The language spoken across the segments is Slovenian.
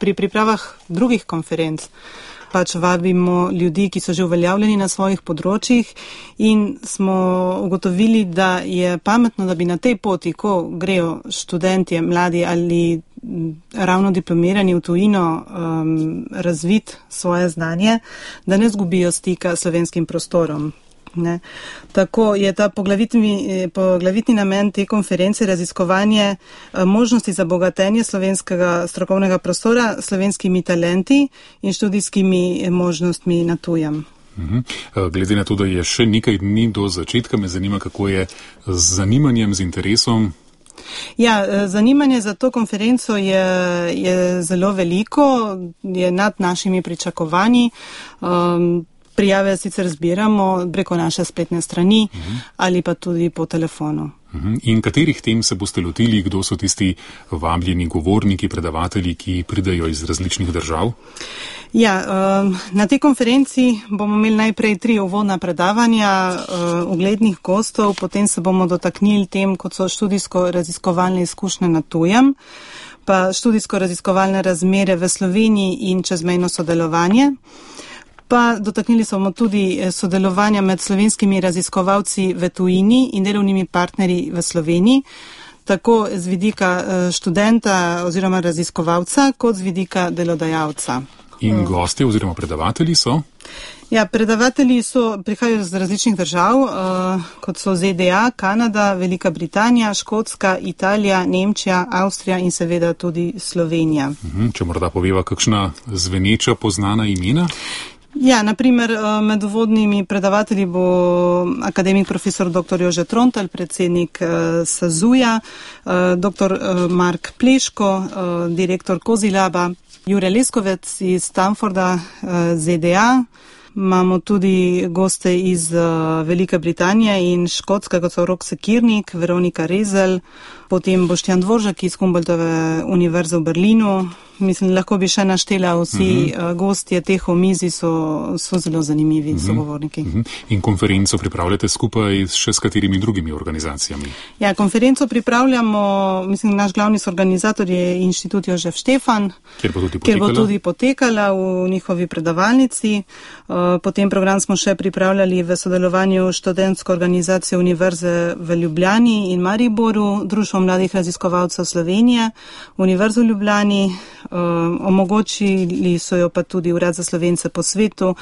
pri pripravah drugih konferenc pač vabimo ljudi, ki so že uveljavljeni na svojih področjih in smo ugotovili, da je pametno, da bi na tej poti, ko grejo študentje, mladi ali ravno diplomirani v tujino razviti svoje znanje, da ne zgubijo stika s slovenskim prostorom. Ne. Tako je ta poglavitni namen te konference raziskovanje možnosti za bogatenje slovenskega strokovnega prostora slovenskimi talenti in študijskimi možnostmi na tujem. Glede na to, da je še nekaj dni do začetka, me zanima, kako je z zanimanjem, z interesom. Ja, zanimanje za to konferenco je zelo veliko, je nad našimi pričakovanji. Prijave sicer zbiramo preko naše spletne strani ali pa tudi po telefonu. In katerih tem se boste lotili, kdo so tisti vabljeni govorniki, predavatelji, ki pridejo iz različnih držav? Ja, na tej konferenci bomo imeli najprej 3 uvodna predavanja uglednih gostov, potem se bomo dotaknili tem, kot so študijsko-raziskovalne izkušnje na tujem, pa študijsko-raziskovalne razmere v Sloveniji in čezmejno sodelovanje. Pa dotaknili smo tudi sodelovanja med slovenskimi raziskovalci v tujini in delovnimi partnerji v Sloveniji, tako z vidika študenta oziroma raziskovalca, kot z vidika delodajalca. In gostje oziroma predavatelji so? Ja, predavatelji prihajajo z različnih držav, kot so ZDA, Kanada, Velika Britanija, Škotska, Italija, Nemčija, Avstrija in seveda tudi Slovenija. Če morda poveva kakšna zveneča poznana imena? Ja, naprimer med uvodnimi predavatelji bo akademik profesor dr. Jože Trontelj, predsednik SAZU-ja, dr. Mark Pleško, direktor Kozilaba, Jure Leskovec iz Stanforda, ZDA. Imamo tudi goste iz Velike Britanije in Škotske, kot so Rok Sekirnik, Veronika Rezelj, potem Boštjan Dvoržak iz Humboldtove univerze v Berlinu. Mislim, lahko bi še naštela vsi gostje teh omizij so zelo zanimivi sogovorniki. In konferenco pripravljate skupaj še s katerimi drugimi organizacijami? Ja, konferenco pripravljamo, mislim, naš glavni organizator je Inštitut Jožef Štefan, kjer bo tudi potekala v njihovi predavalnici. Potem program smo še pripravljali v sodelovanju študentsko organizacijo Univerze v Ljubljani in Mariboru, Društvo mladih raziskovalcev Slovenije, Univerzo v Ljubljani, omogočili so jo pa tudi Urad za Slovence po svetu,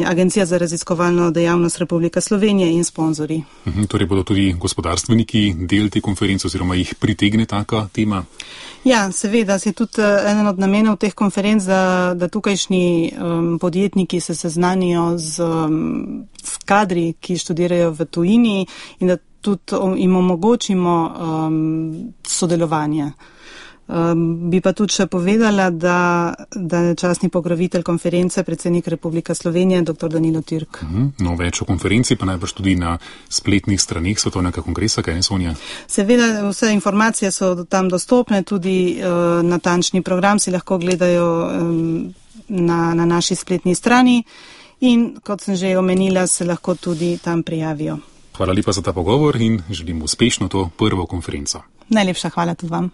Agencija za raziskovalno dejavnost Republike Slovenije in sponzorji. Torej bodo tudi gospodarstveniki del te konference oziroma jih pritegne taka tema? Ja, seveda, je tudi eden od namenov teh konferenc, da tukajšnji podjetniki se seznanijo z kadri, ki študirajo v tujini in da tudi jim omogočimo sodelovanje. Bi pa tudi še povedala, da je častni pokrovitelj konference predsednik Republike Slovenije, dr. Danilo Türk. No, več o konferenci pa najbrž tudi na spletnih straneh Svetovnega kongresa, kaj ne, Sonja? Seveda, vse informacije so tam dostopne, tudi natančni program si lahko gledajo na naši spletni strani in, kot sem že omenila, se lahko tudi tam prijavijo. Hvala lepa za ta pogovor in želim uspešno to prvo konferenco. Najlepša hvala tudi vam.